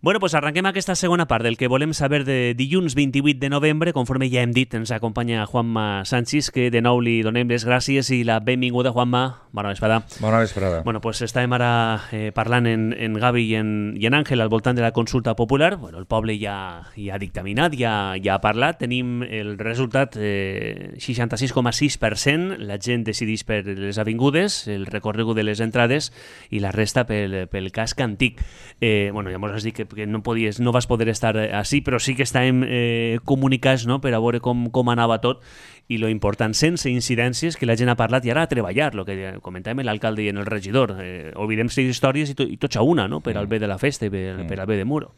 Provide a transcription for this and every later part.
Bueno, doncs arrenquem aquesta segona part del que volem saber de dilluns 28 de novembre. Conforme ja hem dit, ens acompanya Juanma Sanchis, que de nou li donem les gràcies i la benvinguda, Juanma. Bona vesprada. Bona vesprada. Bueno, doncs estàvem ara parlant en Gavi i en Àngel al voltant de la consulta popular. Bueno, el poble ja ha dictaminat, ja ha parlat. Tenim el resultat, 66,6%. La gent decideix per les avingudes, el recorregut de les entrades i la resta pel casc antic. Bueno, ja mos has dit que no vas poder estar així, però sí que estàvem comunicats, no?, per a veure com anava tot, i lo important, sense incidències, que la gent ha parlat i ara a treballar, el que comentàvem l'alcalde i el regidor. Oblidem-se històries i tots a una, no?, per al bé de la festa i per al bé de Muro.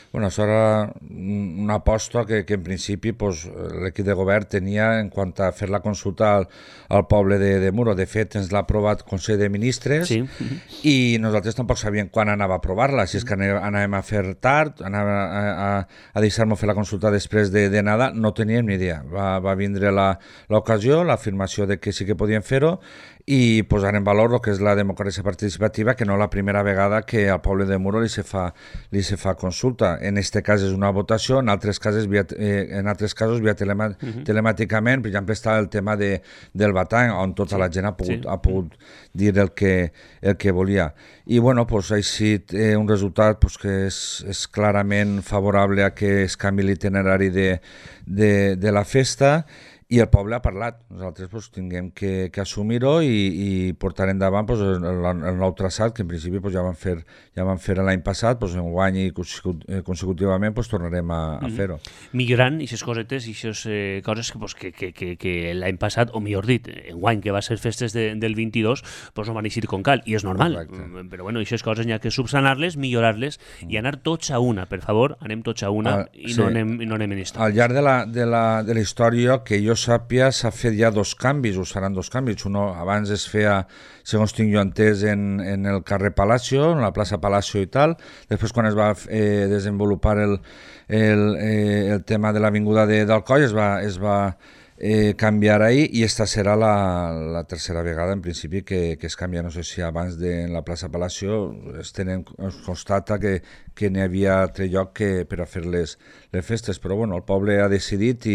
Bueno, això era una aposta que en principi pues, l'equip de govern tenia en quant a fer la consulta al poble de Muro. De fet, ens l'ha aprovat el Consell de Ministres, sí. I nosaltres tampoc sabíem quan anava a aprovar-la, si és que anàvem a fer tard, anava a deixar-nos fer la consulta després de Nadal, no teníem ni idea. Va vindre l'ocasió, l'afirmació de que sí que podíem fer-ho, i posar en valor el que és la democràcia participativa, que no és la primera vegada que al poble de Muro li se fa consulta. En aquest cas és una votació, en altres casos via telemàticament. Per exemple, està el tema del batall, on tota la gent ha pogut dir el que volia. I bueno, pues, ha sigut un resultat pues, que és clarament favorable a que es canvi l'itinerari de la festa, i el poble ha parlat. Nosaltres pues, tinguem que assumir-ho i portar endavant pues, el nou traçat, que en principi pues, ja van fer l'any passat, pues, en guany i consecutivament pues, tornarem a fer-ho. Millorant aquestes cosetes i aquestes coses que l'any passat, o millor dit, en guany, que va ser festes del 22, pues, no van eixir com cal, i és normal. Correcte. Però bueno, aquestes coses n'hi ha que subsanar-les, millorar-les i anar tots a una. Per favor, anem tots a una i no anem en històries. Al llarg de la història, que jo sàpia, s'ha fet ja dos canvis, o seran dos canvis. Uno, abans es feia, segons tinc jo entès, en el carrer Palacio, en la plaça Palacio i tal. Després, quan es va desenvolupar el tema de l'avinguda d'Alcoi, es va canviar ahir, i esta serà la tercera vegada, en principi, que es canvia. No sé si abans en la plaça Palacio es constata que n'hi havia altre lloc per a fer les festes, però bueno, el poble ha decidit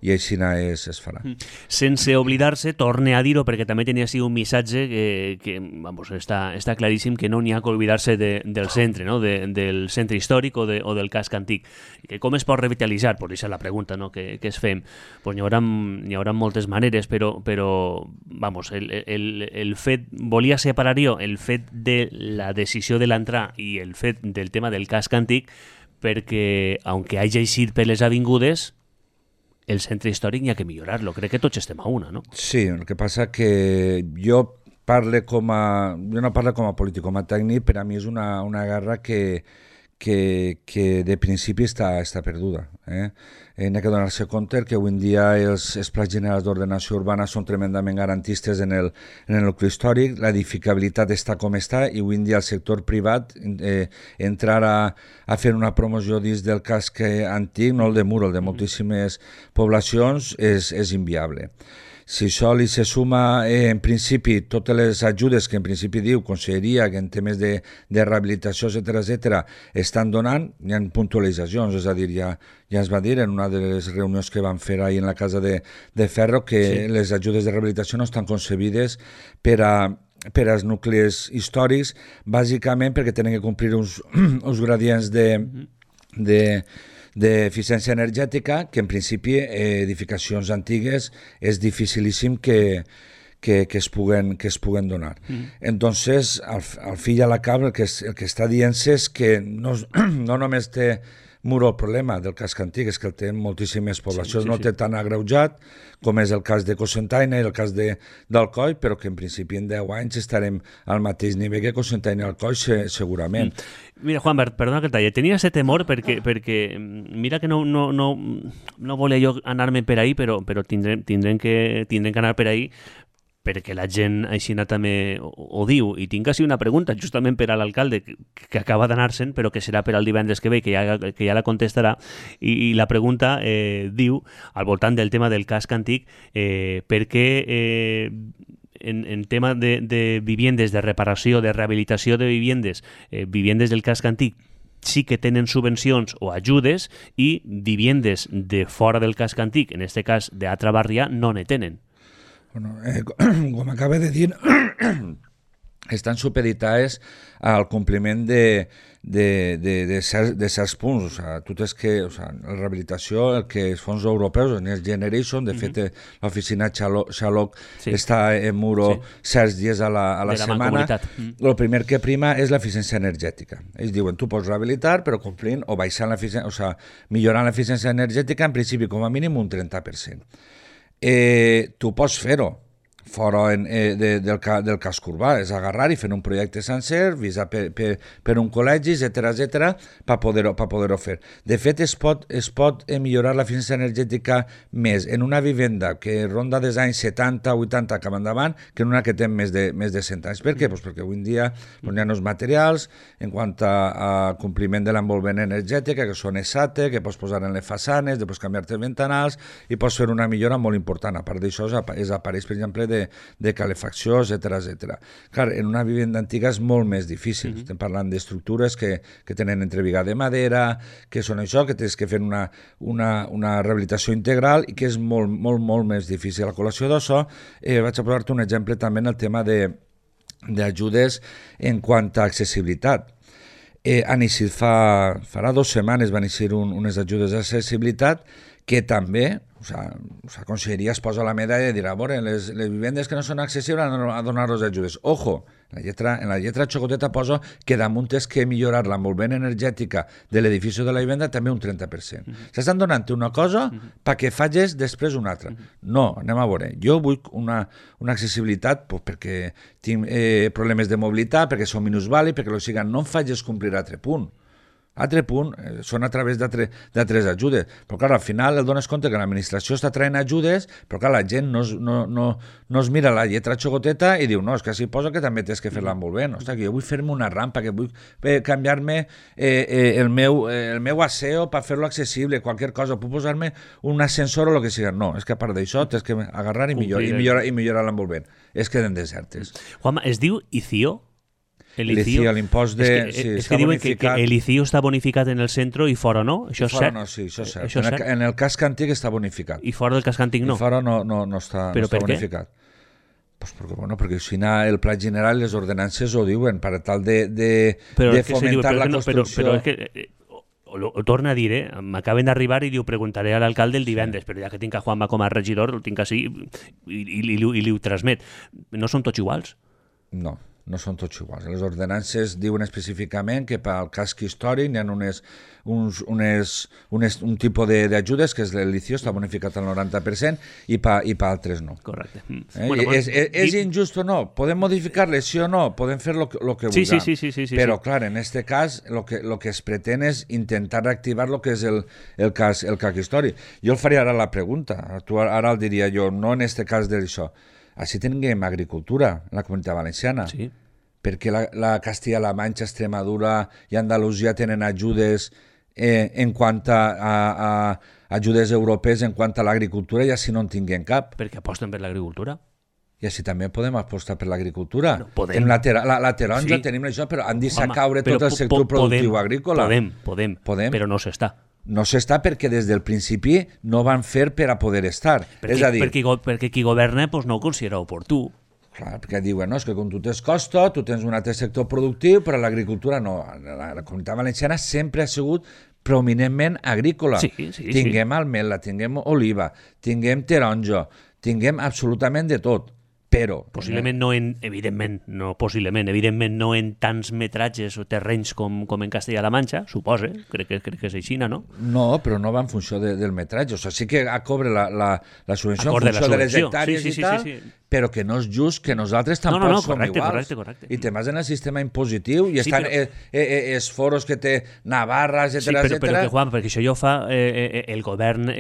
i així es farà. Sense oblidar-se, torne a dir-ho, perquè també tenia així un missatge que vamos, està claríssim, que no n'hi ha que oblidar-se del centre, no? Del centre històric o del casc antic. Que com es pot revitalitzar? Pues aquesta és la pregunta, no? que es fem. Pues n'hi haurà moltes maneres, però vamos, el fet, volia separar jo el fet de la decisió de l'entrar i el fet del tema del casc antic, perquè, aunque hagi eixit per les avingudes, el centre històric n'hi ha que millorar-lo. Crec que tots estem a una, no? Sí, el que passa que jo no parlo com a polític, com a tècnic. Per a mi és una guerra que de principi està perduda. N'hi ha que donar-se compte que avui en dia els plans generals d'ordenació urbana són tremendament garantistes en el nucli històric, l'edificabilitat està com està, i avui en dia el sector privat entrar a fer una promoció dins del casc antic, no el de Muro, el de moltíssimes poblacions, és inviable. Si això li se suma, en principi, totes les ajudes que en principi diu Conselleria, que en temes de rehabilitació, etc., estan donant, hi ha puntualitzacions, és a dir, ja es va dir en una de les reunions que vam fer ahir en la Casa de Ferro que les ajudes de rehabilitació no estan concebides per als nuclis històrics, bàsicament perquè tenen que complir uns gradients d'eficiència energètica, que en principi edificacions antigues és dificilíssim que es puguen donar. Entonces, al fi i a la cap, el que està dient-se és que no només té Muro el problema del casc antic, és que el té moltíssimes poblacions, no té tan agreujat com és el cas de Cocentaina i el cas d'Alcoi, però que en principi en 10 anys estarem al mateix nivell que Cocentaina i Alcoi, segurament. Mira, Juan, perdona que el talle, tenia aquest temor perquè mira que no volia jo anar-me per ahí, però tindrem que anar per ahí, perquè la gent així també ho diu, i tinc així una pregunta justament per a l'alcalde que acaba d'anar-se'n, però que serà per al divendres que ve, que ja la contestarà, i la pregunta diu, al voltant del tema del casc antic, per què en tema de viviendes, de reparació, de rehabilitació de viviendes del casc antic, sí que tenen subvencions o ajudes i viviendes de fora del casc antic, en este cas d'altra barria, no ne tenen. Bueno, com acaba de dir, estan supeditades al compliment de certs punts. O sea, tu tens que, la rehabilitació, el que els fons europeus, el Next Generation, de fet, l'oficina Xaloc està en Muro certs dies a la setmana. El primer que prima és l'eficiència energètica. Ells diuen, tu pots rehabilitar, però complint o baixant l'eficiència, millorant l'eficiència energètica, en principi, com a mínim, un 30%. Tu pots fer-ho fora del casc urbà, és agarrar i fer un projecte sencer, visar per un col·legi, etc per poder-ho fer. De fet, es pot millorar l'eficiència energètica més en una vivenda que ronda des anys 70, 80 cap endavant que en una que té més de 100 anys. Per què? Pues perquè avui en dia hi ha nous materials en quant a compliment de l'envolvent energètica, que són ESATE, que pots posar en les façanes, després canviar-te els ventanals i pots fer una millora molt important. A part d'això, és aparells, per exemple, de calefacció, etc. Clar, en una vivenda antiga és molt més difícil. Estem parlant d'estructures que tenen entrevigat de madera, que són això, que tens que fer una rehabilitació integral i que és molt més difícil. A col·lació d'això, vaig a posar-te un exemple també en el tema d'ajudes en quant a accessibilitat. Farà 2 setmanes van eixir unes ajudes d'accessibilitat que també, la conselleria es posa la medalla i dirà, a veure, les vivendes que no són accessibles a donar-los ajudes. Ojo, en la lletra xocoteta posa que damunt és que millorar l'envolvent energètica de l'edifici de la vivenda també un 30%. S'estan donant una cosa perquè facis després una altra. No, anem a veure. Jo vull una accessibilitat perquè tinc problemes de mobilitat, perquè som minusvàlids, perquè no em facis complir altre punt. Altre punt, són a través d'altres ajudes. Però clar, al final el dones compte que l'administració està traient ajudes, però clar, la gent no es mira la lletra xocoteta i diu, no, és que s'hi posa que també tens que fer-la molt bé. Ostres, que jo vull fer-me una rampa, que vull canviar-me el meu aseo per fer-lo accessible, qualsevol cosa, puc posar-me un ascensor o el que sigui. No, és que a part d'això tens que agarrar i millorar l'envolvent. És que queden desertes. Juanma, es diu ICIO? El ICIO, l'impost de... És que diuen que el ICIO està bonificat en el centre i fora no? Això és cert? No, sí, això és cert. En el casc antic està bonificat. I fora del casc antic no? I fora no està bonificat. Pues perquè si el Pla General i les ordenances ho diuen per tal de fomentar la construcció... Però és que... Ho torna a dir, m'acaben d'arribar i li ho preguntaré a l'alcalde el divendres, però ja que tinc a Juanma com a regidor, el tinc així i li ho transmet. No són tots iguals? No són tots iguals. Les ordenances diuen específicament que pel casc històric hi ha un tipus d'ajudes que és l'ICIO, està bonificat al 90% i per altres no. Correcte. És injust o no? Podem modificar-les, sí o no? Podem fer el que vulguem. Sí. Però, clar, en aquest cas, el que es pretén és intentar reactivar el que és el casc històric. Jo el faria ara la pregunta. Ara el diria jo, no en aquest cas d'això. Així tinguem agricultura en la Comunitat Valenciana. Sí. Perquè la Castilla-La Manxa, Extremadura i Andalusia tenen ajudes en quant a ajudes europees en quant a l'agricultura i així no en tinguem cap. Perquè aposten per l'agricultura. I així també podem apostar per l'agricultura. Tenim la taronja, tenim això, però han deixat caure tot el sector productiu agrícola. Podem, però no s'està. No s'està perquè des del principi no van fer per a poder estar. Perquè qui governa no ho considera oportú. Clar, perquè diuen, no, és que com tu tens costa, tu tens un altre sector productiu, però l'agricultura no. La Comunitat Valenciana sempre ha sigut prominentment agrícola. Tinguem almela, tinguem oliva, tinguem taronja, tinguem absolutament de tot. Però... Evidentment no en tants metratges o terrenys com en Castella-La Manxa, suposa, crec que és així, no? No, però no va en funció del metratge. O sigui, sí que cobra la subvenció en funció de les hectàrees i tal, però que no és just que nosaltres tampoc som iguals. Correcte. I te vas en el sistema impositiu i estan els foros que té Navarra, etc. Sí, però que, Juan, perquè això ja ho fa el govern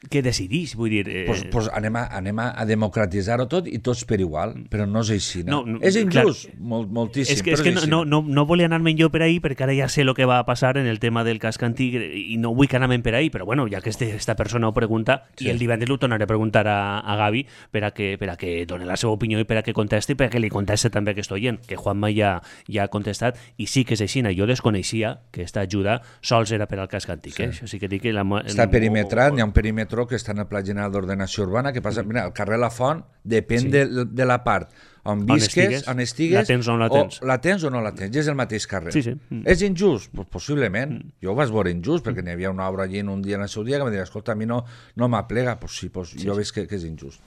que decidís, vull dir... Pues anem a democratitzar-ho tot i tots per igual, però no és així. No, és injust, clar, moltíssim, és que però és així. no volia anar-me'n jo per ahí, perquè ara ja sé el que va passar en el tema del casc antic i no vull que anem per ahí, però bueno, ja que esta persona ho pregunta, i el divendres ho tornaré a preguntar a Gavi per a que doni la seva opinió i per a que contesti, per a que li conteste també a aquest oient, que Juanma ja ha contestat, i sí que és així. Jo desconeixia que aquesta ajuda sols era per al casc antic. Això sí que dic que... Està perimetrat, hi ha un perímetre que està en el Pla General d'Ordenació Urbana, que passa, mira, el carrer La Font depèn de la part on visques, on estigues, la tens o no la tens. O la tens o no la tens, és el mateix carrer. Sí. És injust? Pues possiblement. Jo ho vaig veure injust, perquè n'hi havia una obra allí en un dia en el seu dia que em deia, escolta, a mi no m'aplega, pues sí, jo veig que és injust.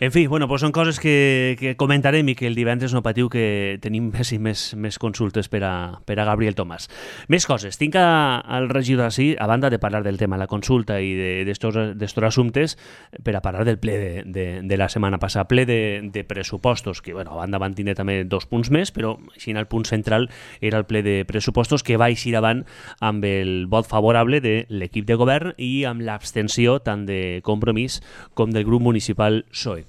En fi, bueno, pues són coses que comentarem i que el divendres no patiu que tenim més consultes per a Gabriel Tomàs. Més coses. Tinc al regidor així, a banda de parlar del tema de la consulta i d'estos assumptes, per a parlar del ple de la setmana passada, ple de pressupostos, que bueno, a banda van tindre també 2 punts més, però així el punt central era el ple de pressupostos que va eixir avant amb el vot favorable de l'equip de govern i amb l'abstenció tant de Compromís com del grup municipal PSOE.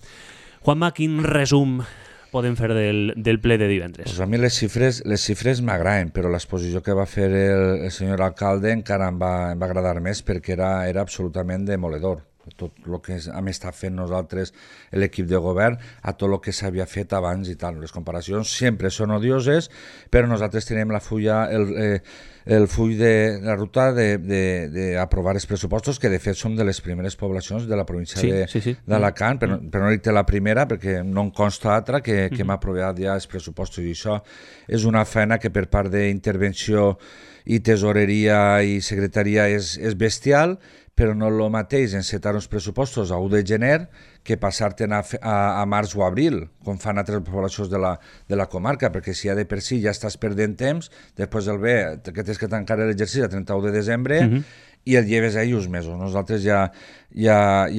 Juanma, quin resum podem fer del ple de divendres? Pues a mi les xifres m'agraden, però l'exposició que va fer el senyor alcalde encara em va agradar més perquè era absolutament demoledor. Tot el que hem estat fent nosaltres, l'equip de govern, a tot el que s'havia fet abans i tal. Les comparacions sempre són odioses, però nosaltres tenim el full de la ruta d'aprovar els pressupostos, que de fet som de les primeres poblacions de la província d'Alacant, però no dic la primera, perquè no em consta altra que hem aprovat ja els pressupostos, i això és una feina que per part d'intervenció i tesoreria i secretaria és bestial, però no el mateix encetar uns pressupostos a 1 de gener que passar-te'n a març o abril, com fan altres poblacions de la comarca, perquè si ja de per si ja estàs perdent temps, després del bé que tens que tancar l'exercici a 31 de desembre i el lleves ahir uns mesos. Nosaltres ja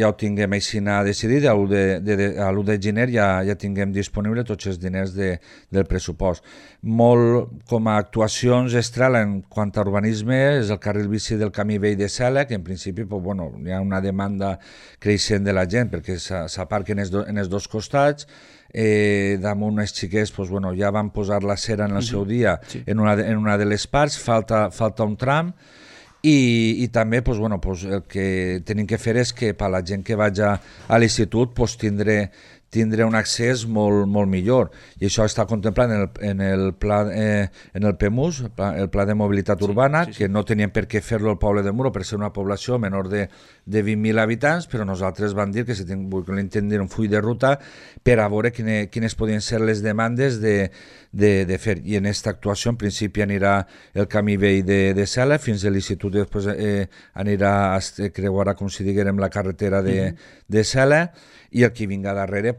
ho tinguem així decidit, a l'1 de gener ja tinguem disponible tots els diners del pressupost. Molt com a actuacions estrela en quant a urbanisme és el carril bici del camí vell de Cela, que en principi hi ha una demanda creixent de la gent perquè s'aparquen en els dos costats. Damunt els xiquets ja van posar la cera en el seu dia en una de les parts, falta un tram. I també el que tenim que fer és que per a la gent que vaig a l'institut tindre un accés molt millor, i això està contemplat en el PEMUS, el Pla de Mobilitat Urbana, que no teníem per què fer-lo al poble de Muro per ser una població menor de 20.000 habitants, però nosaltres vam dir que si volíem tenir un full de ruta per a veure quines podien ser les demandes de fer. I en aquesta actuació en principi anirà el camí vell de Cela fins a l'institut, i després creuarà, com si diguérem, la carretera de Cela, i el que vinga darrere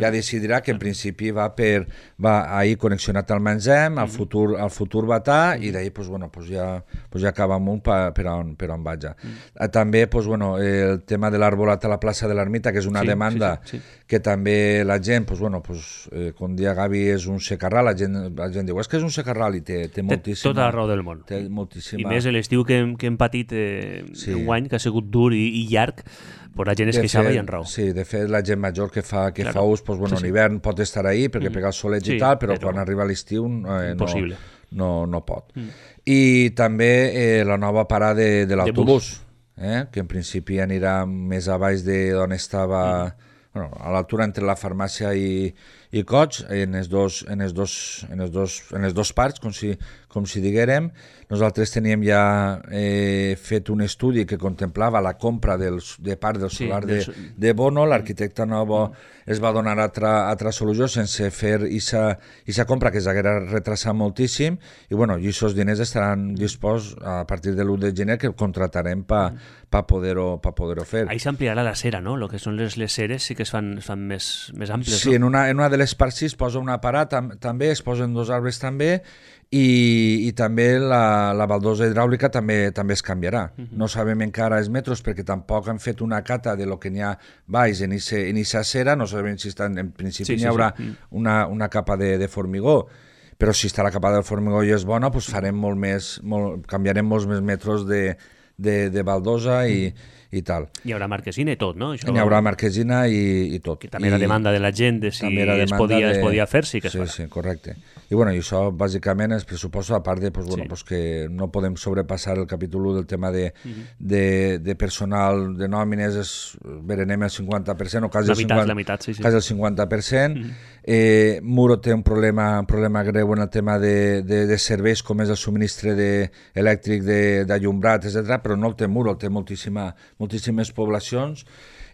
ja decidirà que en principi va ahir connexionat al Menzem, al futur Batà, i d'ahir ja acaba amunt per on vaig. També el tema de l'arbolat a la plaça de l'Ermita, que és una demanda que també la gent, com dia Gavi, és un secarral, la gent diu, és que és un secarral, i té moltíssima... Tota la raó del món. I més l'estiu que hem patit enguany, que ha sigut dur i llarg, però la gent es queixava i en raó. Sí, de fet, la gent major que fa ús, en hivern pot estar ahí perquè pega el soleig i tal, però quan arriba l'estiu no pot. I també la nova parada de l'autobús, que en principi anirà més a baix d'on estava, a l'altura entre la farmàcia i Cots, en els dos parts, com si diguérem. Nosaltres teníem ja fet un estudi que contemplava la compra de part del solar de Bono. L'arquitecte Novo es va donar altra solució sense fer aquesta compra, que s'haguera retrasat moltíssim, i aquests diners estaran disposats a partir de l'1 de gener, que contratarem per poder-ho fer. Ahí s'ampliarà la cera, no? El que són les ceres sí que es fan més amples. Sí, en una de les parts es posa una parada, també es posen 2 arbres també, i també la baldosa hidràulica també es canviarà. No sabem encara els metres perquè tampoc han fet una cata de lo que n'hi ha baix en aquesta cera, no sabem si en principi n'hi haurà una capa de formigó, però si està la capa del formigó i és bona, canviarem molts més metres de baldosa i tal. Hi haurà marquesina i tot, no? Hi haurà marquesina i tot. Que també era demanda de la gent de si es podia fer, sí que es farà. Sí, correcte. I bueno, i això bàsicament els pressupostos, a part de que no podem sobrepassar el capítol 1 del tema de personal, de nòmines, verenem el 50%, o quasi la meitat, sí. Quasi el 50%. Muro té un problema greu en el tema de serveis, com és el subministre elèctric d'allumbrat, etc., però no el té Muro, el té moltíssimes poblacions,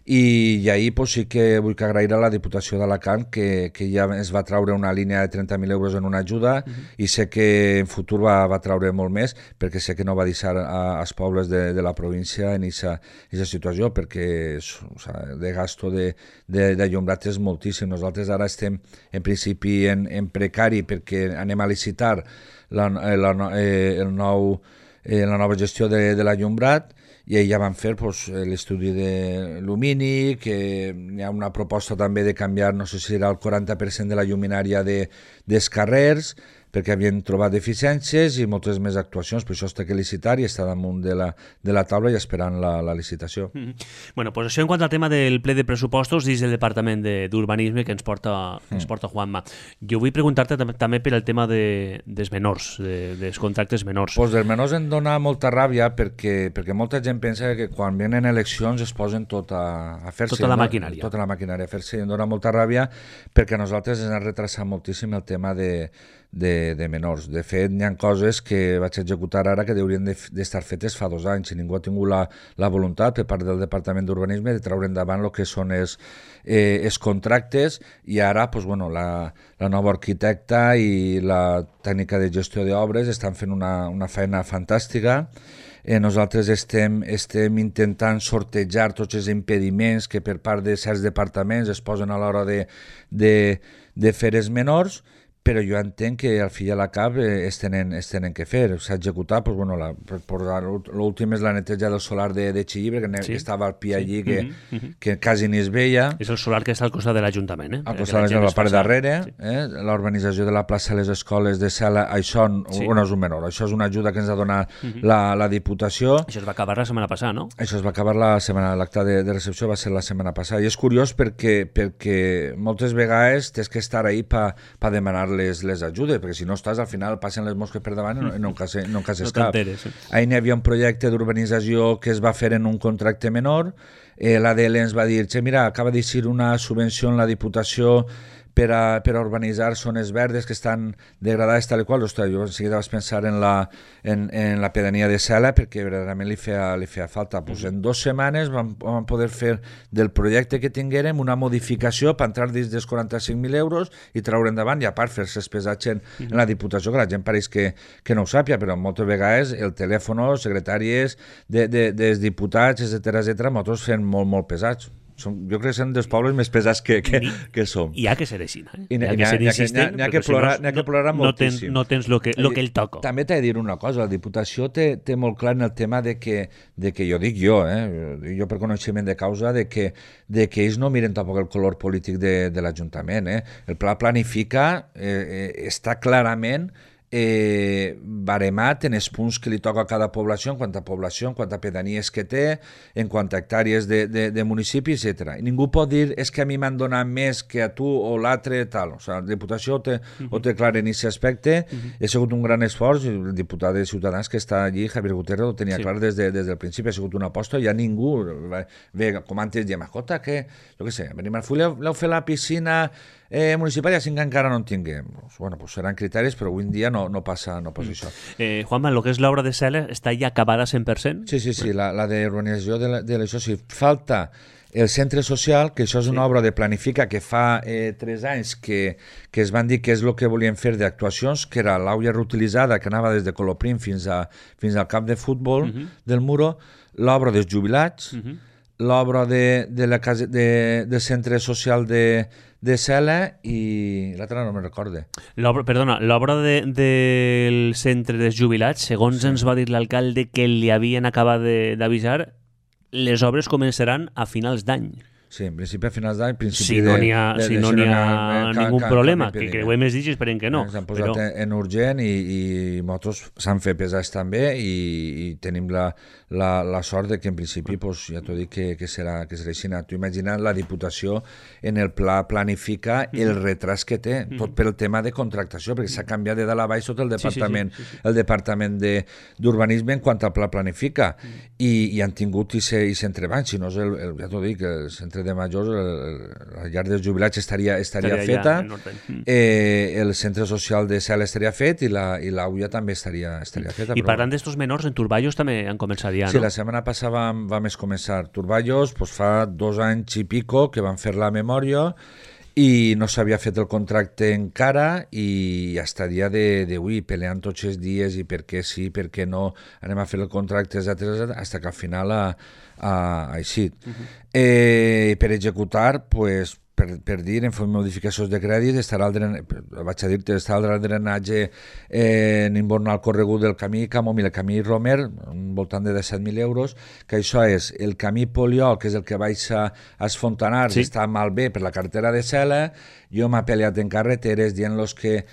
i ahir sí que vull agrair a la Diputació d'Alacant que ja es va traure una línia de 30.000 euros en una ajuda, i sé que en futur va traure molt més, perquè sé que no va deixar als pobles de la província en aquesta situació, perquè de gasto d'allumbrat és moltíssim. Nosaltres ara estem en principi en precari perquè anem a licitar la nova gestió de l'allumbrat, i ja van fer l'estudi de Lumini, que hi ha una proposta també de canviar, no sé si era el 40% de la lluminària dels carrers, perquè havien trobat deficiències i moltes més actuacions, per això es té que licitar i està damunt de la taula i esperant la licitació. Bueno, pues això en quant al tema del ple de pressupostos dins del Departament d'Urbanisme que ens porta Juanma. Jo vull preguntar-te també per el tema dels menors, dels contractes menors. Pues dels menors em dona molta ràbia perquè molta gent pensa que quan venen eleccions es posen tot a fer-se. Tota la maquinària. Tota la maquinària a fer-se, i em dona molta ràbia perquè a nosaltres ens ha retrasat moltíssim el tema de menors. De fet, hi ha coses que vaig executar ara que haurien d'estar fetes fa 2 anys, i ningú ha tingut la voluntat per part del Departament d'Urbanisme de treure endavant el que són els contractes, i ara la nova arquitecta i la tècnica de gestió d'obres estan fent una feina fantàstica. Nosaltres estem intentant sortejar tots els impediments que per part de certs departaments es posen a l'hora de fer els menors, però jo entenc que al fi i a la cap es tenen que fer. S'ha executat, l'últim és la neteja del solar de Xillibre, que estava al pi allí, que quasi ni es veia. És el solar que està al costat de l'Ajuntament. Al costat de la part darrere, l'urbanització de la plaça de les escoles de Cela, això no és un menor, això és una ajuda que ens ha donat la Diputació. Això es va acabar la setmana passada, no? Això es va acabar l'acte de recepció va ser la setmana passada, i és curiós perquè moltes vegades tens que estar ahí per demanar les ajudes, perquè si no estàs, al final passen les mosques per davant i no encases cap. Ahir n'hi havia un projecte d'urbanització que es va fer en un contracte menor, l'ADL ens va dir, mira, acaba d'eixir una subvenció en la Diputació per a urbanitzar zones verdes que estan degradades tal i qual. Ostres, jo en seguida vaig pensar en la pedania de Cela, perquè verdaderament li feia falta. En 2 setmanes vam poder fer del projecte que tinguérem una modificació per entrar dins dels 45.000 euros i treure endavant, i a part fer-se pesats en la Diputació, que la gent pareix que no ho sàpia, però moltes vegades el telèfon, secretàries dels diputats, etc., molts fent molt pesats. Jo crec que són dels pobles més pesats que som. I ha que ser així, N'hi ha que plorar moltíssim. No tens el que ell toca. També t'he de dir una cosa, la Diputació té molt clar en el tema de que jo per coneixement de causa, de que ells no miren tampoc el color polític de l'Ajuntament. El pla planifica, està clarament baremat en els punts que li toca a cada població, en quant a pedanies que té, en quant a hectàrees de municipi, etc. I ningú pot dir és que a mi m'han donat més que a tu o l'altre, tal. O sigui, la Diputació ho té clar en aquest aspecte. Ha sigut un gran esforç, i el diputat de Ciutadans que està allí, Javier Gutiérrez, ho tenia clar des del principi. Ha sigut una aposta, ja ningú ve com antes de Macota, que, jo què sé, venim al Full, l'heu fet la piscina municipal, i així que encara no en tinguem. Seran criteris, però avui en dia no passa això. Juanma, el que és l'obra de Cela està ja acabada 100%? Sí, la d'urbanització de l'això sí. Falta el centre social, que això és una obra de Planifica que fa 3 anys que es van dir que és el que volien fer d'actuacions, que era l'aulla reutilitzada que anava des de Coloprim fins al camp de futbol del Muro, l'obra dels jubilats, l'obra del centre social de Cela, i l'altra no me'n recorde. L'obra del centre dels jubilats, segons ens va dir l'alcalde que li havien acabat d'avisar, les obres començaran a finals d'any. Sí, en principi a finals d'any, si no n'hi ha ningú problema, que creuem els dies esperem que no. S'han posat en urgent i nosaltres s'han fet pesats també i tenim la sort de que en principi ja t'ho dic que serà així. Tu imagina't la Diputació en el pla planifica el retras que té, tot pel tema de contractació, perquè s'ha canviat de dalt a baix tot el departament, el departament d'urbanisme en quant al pla planifica i han tingut i s'entrebanys, si no ja t'ho dic, el centre de majors, la llar dels jubilats estaria feta, el centre social de Cel estaria fet i l'AUIA també estaria feta. I parlant d'estos menors, en Turballos també han començat ja, no? Sí, la setmana passada vam començar Turballos, fa 2 anys i pico que van fer la memòria i no s'havia fet el contracte encara i hasta el dia d'avui peleant tots els dies i per què sí, per què no, anem a fer el contracte, etcètera, fins que al final ha eixit. Per executar, per dir, en fer modificacions de crèdit, estarà el drenatge en inbornar el corregut del camí Camomil, el camí Romer, voltant de 17.000 euros, que això és el camí Poliol, que és el que baix a Esfontanars, està malbé per la carretera de Cela. Jo m'he peleat en carreteres dient-los que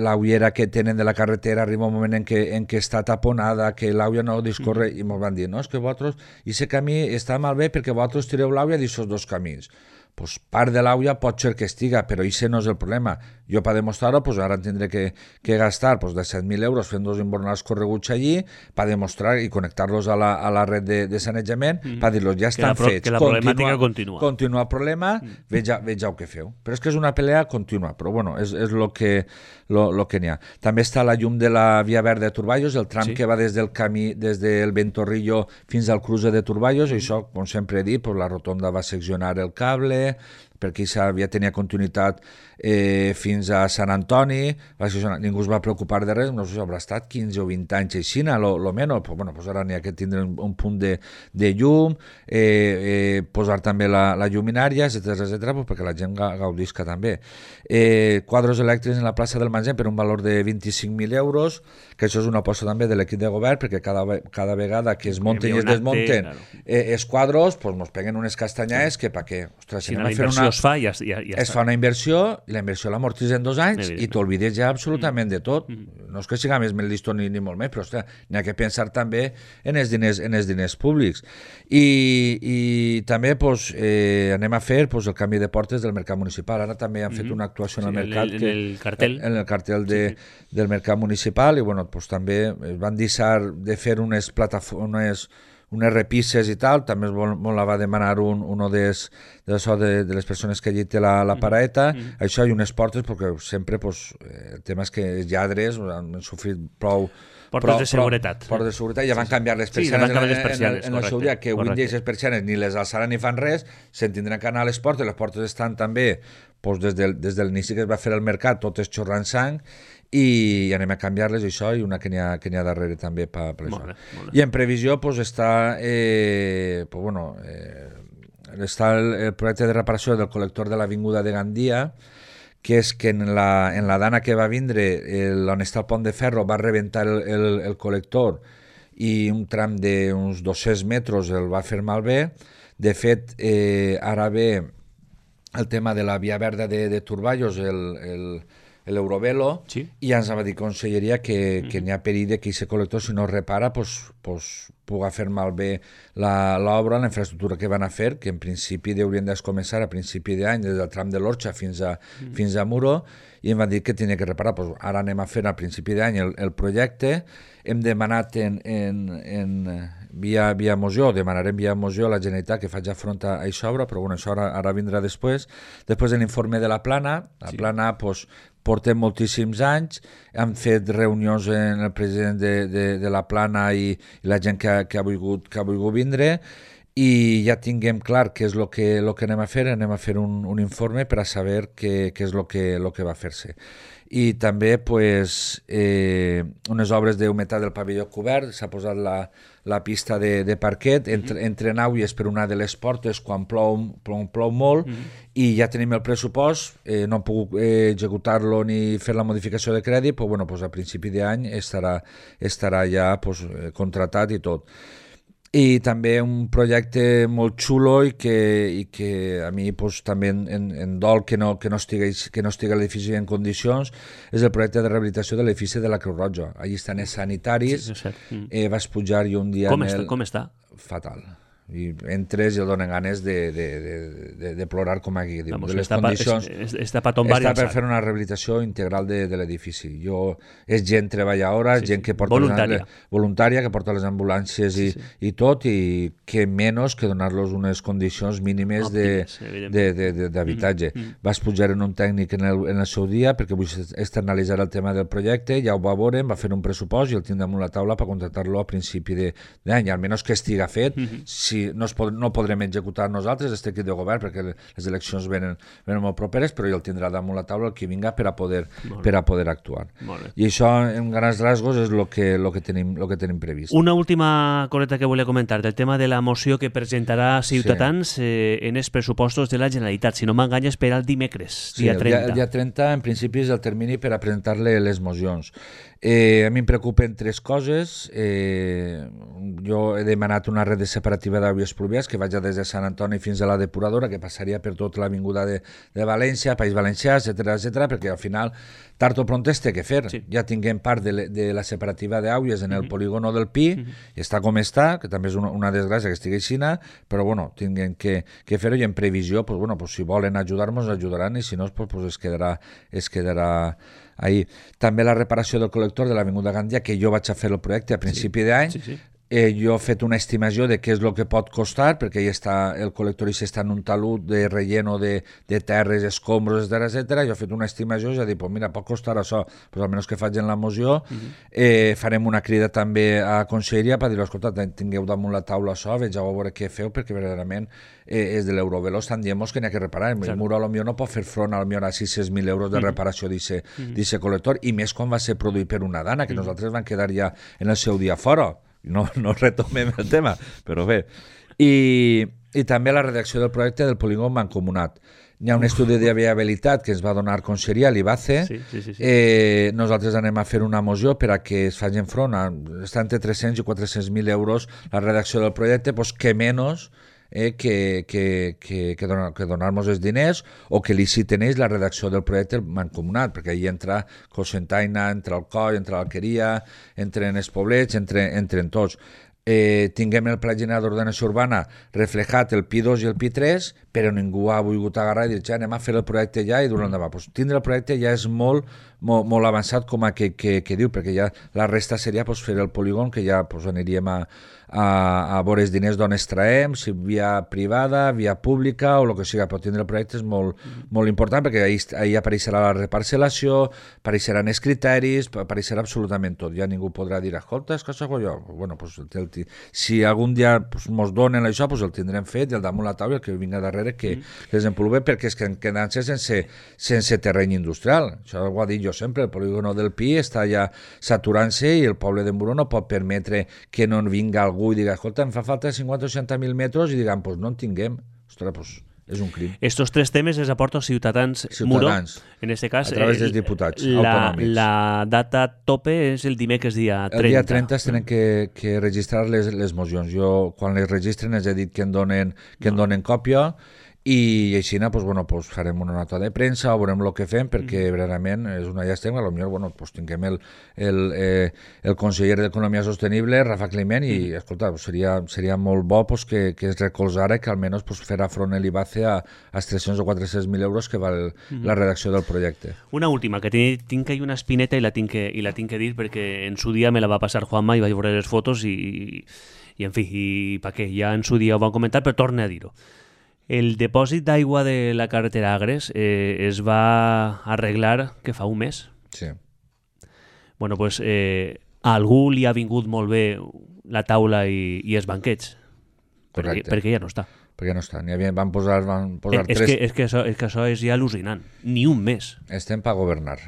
l'auiera que tenen de la carretera arriba un moment en què està taponada, que l'auia no discorre, i ens van dir, no, és que vosaltres, aquest camí està malbé perquè vosaltres tireu l'auia d'aquests 2 camins. Pues part de l'auia pot ser que estiga, però això no és el problema. Jo per demostrar-ho, ara tindré que gastar 17.000 euros fent 2 inbornals correguts allí per demostrar i connectar-los a la red de sanejament, per dir-los ja estan fets. Que la problemàtica continua. Continua el problema, vegeu què feu. Però és que és una pelea contínua, però bueno, és el que n'hi ha. També està la llum de la Via Verda de Turballos, el tram que va des del Ventorrillo fins al cruce de Turballos, i això, com sempre he dit, la rotonda va seccionar el cable, perquè tenia continuïtat fins a Sant Antoni, ningú es va preocupar de res, no sé si haurà estat 15 o 20 anys així, lo menys, ara n'hi ha que tindre un punt de llum, posar també la lluminària, etcètera, perquè la gent gaudisca també. Quadros elèctrics en la plaça del Mangem per un valor de 25.000 euros, que això és una aposta també de l'equip de govern, perquè cada vegada que es munten i es desmunten els quadros, ens peguen unes castanyades que per què? Ostres, si la inversió es fa, es fa una inversió, i la inversió l'amortitza en 2 anys i t'olvides ja absolutament de tot. No és que siga més llisto ni molt més, però n'hi ha que pensar també en els diners públics. I també anem a fer el canvi de portes del mercat municipal. Ara també han fet una actuació en el mercat, en el cartell del mercat municipal, i també es van deixar de fer unes plataformes, unes repisses i tal, també la va demanar un de les persones que allí té la paraeta, això i unes portes, perquè sempre el tema és que els lladres han sofrit prou portes de seguretat. Portes de seguretat, ja van canviar les persianes en el seu dia, que avui les persianes ni les alçaran ni fan res, se'n tindran que anar a les portes estan també des de l'inici que es va fer el mercat, totes xorrant sang, i anem a canviar-les això i una que n'hi ha darrere també per això. I en previsió està està el projecte de reparació del col·lector de l'Avinguda de Gandia, que és que en la dana que va vindre on està el pont de ferro va rebentar el col·lector i un tram d'uns 200 metres el va fer malbé. De fet, ara ve el tema de la Via Verda de Turballos, l'Eurovelo, i ja ens va dir Conselleria que n'hi ha perill que aquest col·lector, si no es repara, pugui fer malbé l'obra, la infraestructura que van a fer, que en principi haurien de començar a principi d'any, des del tram de l'Orxa fins a Muro, i em van dir que tenia que reparar. Ara anem a fer al principi d'any el projecte. Hem demanat via moció, demanarem via moció a la Generalitat que faci front a aquesta obra, però això ara vindrà després. Després de l'informe de la Plana, Plana portem moltíssims anys, hem fet reunions amb el president de la Plana i la gent que ha volgut vindre, i ja tinguem clar què és el que anem a fer un informe per a saber què és el que va fer-se. I també unes obres d'humitat del pavelló cobert, s'ha posat la pista de parquet, entre nàuies per una de les portes quan plou molt, i ja tenim el pressupost, no hem pogut executar-lo ni fer la modificació de crèdit, però a principi d'any estarà ja contratat i tot. i també un projecte molt xulo i que a mi pues, també en dol que no estigui l'edifici en condicions, és el projecte de rehabilitació de l'edifici de la Creu Roja. Allí estan els sanitaris, vas pujar jo un dia... Com està? Fatal. I entres i el donen ganes de plorar com aquí. Vamos, de les condicions, està per tombar està per fer una rehabilitació integral de l'edifici. És gent treballadora, gent que porta voluntària, que porta les ambulàncies i tot, i que menys que donar-los unes condicions mínimes d'habitatge. Vas pujar en un tècnic en el seu dia perquè vull externalitzar el tema del projecte, ja ho va veure, va fer un pressupost i el tinc damunt la taula per contractar-lo a principi d'any, almenys que estiga fet. Si no podrem executar nosaltres este equip de govern perquè les eleccions venen molt properes, però ja el tindrà damunt la taula el que vinga per a poder actuar. I això en grans rasgos és el que tenim previst. Una última coseta que volia comentar del tema de la moció que presentarà Ciutadans en els pressupostos de la Generalitat, si no m'enganyes, per al dimecres, dia 30. El dia 30 en principi és el termini per a presentar-le les mocions. A mi em preocupen tres coses. Jo he demanat una red separativa d'aigües pluvials que vaig des de Sant Antoni fins a la depuradora, que passaria per tota l'avinguda de València, País Valencià, etc, perquè al final tard o pront es té que fer. Ja tinguem part de la separativa d'aigües en el polígono del Pi, i està com està, que també és una desgràcia que estigui així, però bueno, tinguem que fer-ho, i en previsió, si volen ajudar-nos, ajudaran, i si no, es quedarà ahí. També la reparació del col·lector de l'Avinguda Gàndia, que jo vaig a fer el projecte a principi d'any. Jo he fet una estimació de què és el que pot costar, perquè el col·lector està en un talud de relleno de terres, escombros, etc. Jo he fet una estimació i he dit, mira, pot costar això, almenys que faig en la moció. Farem una crida també a Conselleria per dir, escolta, tingueu damunt la taula això, vegeu a veure què feu, perquè verdaderament és de l'Euroveloz, estan dient que n'hi ha que reparar. El mur potser no pot fer front a 600.000 euros de reparació d'aquest col·lector, i més quan va ser produït per una dana, que nosaltres vam quedar ja en el seu dia fora. No retomem el tema, però bé. I també la redacció del projecte del polígon mancomunat. Hi ha un estudi de viabilitat que ens va donar Conselleria, l'IBACE. Nosaltres anem a fer una moció per a que es facin front està entre 300 i 400.000 euros la redacció del projecte, que menys que donar-nos els diners, o que liciten ells la redacció del projecte mancomunat, perquè ahí entra Cocentaina, entra Alcoi, entra l'Alqueria, entren els poblets, entren tots. Tinguem el Pla General d'Ordenació Urbana reflejat el Pi 2 i el Pi 3, però ningú ha volgut agarrar i dir, anem a fer el projecte ja i dur-lo endavant. Tindre el projecte ja és molt avançat com a que diu, perquè ja la resta seria fer el polígon, que ja aniríem a veure els diners d'on extraem, si via privada, via pública o el que sigui, però tindre el projecte és molt important, perquè ahir apareixerà la reparcel·lació, apareixeran els criteris, apareixerà absolutament tot. Ja ningú podrà dir, escolta, és que això jo... Si algun dia ens donen això, el tindrem fet, i el damunt la taula, el que vinga darrere que desenvolupe, perquè és que quedant-se sense terreny industrial. Això ho ha dit jo sempre, el polígono del Pi està ja saturant-se, i el poble de Muro no pot permetre que no vinga algú i diga, escolta, em fa falta 50 o 60.000 metres, i diguem, no en tinguem. Ostres, és un crim. Estos tres temes els aporta Ciutadans Muro, en este cas, a través dels diputats autonòmics. La data tope és el dimecres dia 30. El dia 30 es tenen que registrar les mocions. Jo, quan les registren, els he dit que en donen còpia, i així farem una nota de premsa, veurem el que fem, perquè verdaderament és una llàstima. Potser tinguem el conseller d'Economia Sostenible, Rafa Climent, i escolta, seria molt bo que es recolzara, que almenys farà front l'IBACE als 300 o 400.000 euros que val la redacció del projecte. Una última, que tinc ahí una espineta i la tinc que dir, perquè en su dia me la va passar Juanma i vaig veure les fotos i en fi, i pa què, ja en su dia ho van comentar, però torne a dir-ho. El depòsit d'aigua de la carretera Agres es va arreglar que fa un mes. Sí. Bueno, pues a algú li ha vingut molt bé la taula i els banquets. Perquè ja no està. Perquè no està. Van posar tres... És que això és ja al·lucinant. Ni un mes. Estem per governar.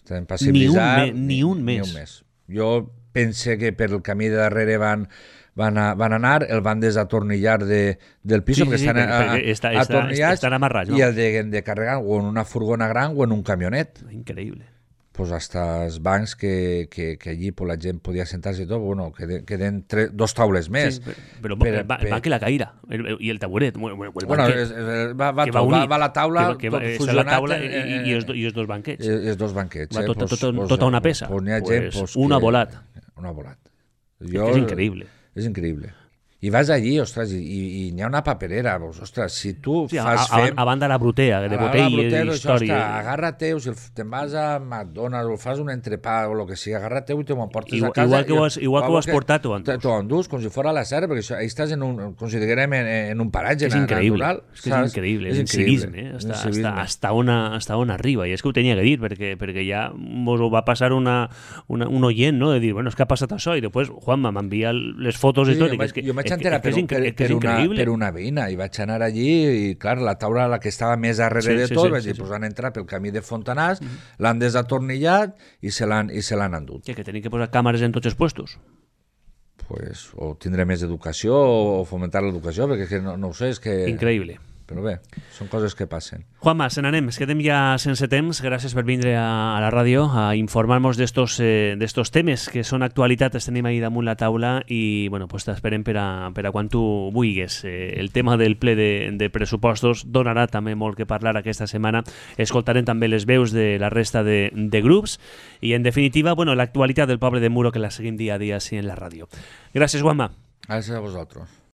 Estem per civilitzar. Ni un mes. Jo pense que per el camí de darrere van anar, el van desatornillar del pis, perquè estan atornillats, estan amarrats, no? I el de carregar o en una furgona gran o en un camionet. Increïble. pues hasta els bancs que allí pues, la gent podia sentar-se i tot, bueno, queden 2 taules més. Sí, però el banc i la caïra, i el taburet, el banquet. Va la taula, tot fusionat. La taula i els 2 banquets. I els 2 banquets. Tota una peça. Un ha volat. Un ha volat. És increïble. És increïble. I vas allí, ostres, i n'hi ha una paperera, ostres, si tu fas a banda la brutea, de botelles i històries. Agarra-te, o si te'n vas a McDonald's o fas un entrepà o el que sigui, agarra-te i te m'ho portes a casa. Igual que ho has portat, t'ho endús. T'ho endús, com si fos a la serra, perquè això, ahí estàs com si diguem en un paratge natural. És increïble, és incivisme, hasta on arriba, i és que ho tenia que dir, perquè ja mos ho va passar un oient, no?, de dir, bueno, és que ha passat això, i després Juanma m'envia les fotos històriques. Jo vaig enterar per una veïna i vaig anar allí i clar, la taula la que estava més darrere de tot, vaig dir, pues han entrat pel camí de Fontanars, l'han desatornillat i se l'han endut. Que tenim que posar càmeres en tots els puestos? Pues o tindré més educació o fomentar l'educació, perquè no ho sé, és que... Increïble. Però bé, són coses que passen. Juanma, se n'anem, es quedem ja sense temps. Gràcies per vindre a la ràdio a informar-nos d'estos temes que són actualitat, els tenim ahí damunt la taula i bueno, pues t'esperem per a quan tu vulguis. El tema del ple de pressupostos donarà també molt que parlar aquesta setmana. Escoltarem també les veus de la resta de grups i en definitiva, bueno, l'actualitat del poble de Muro que la seguim dia a dia així en la ràdio. Gràcies, Juanma. Gràcies a vosaltres.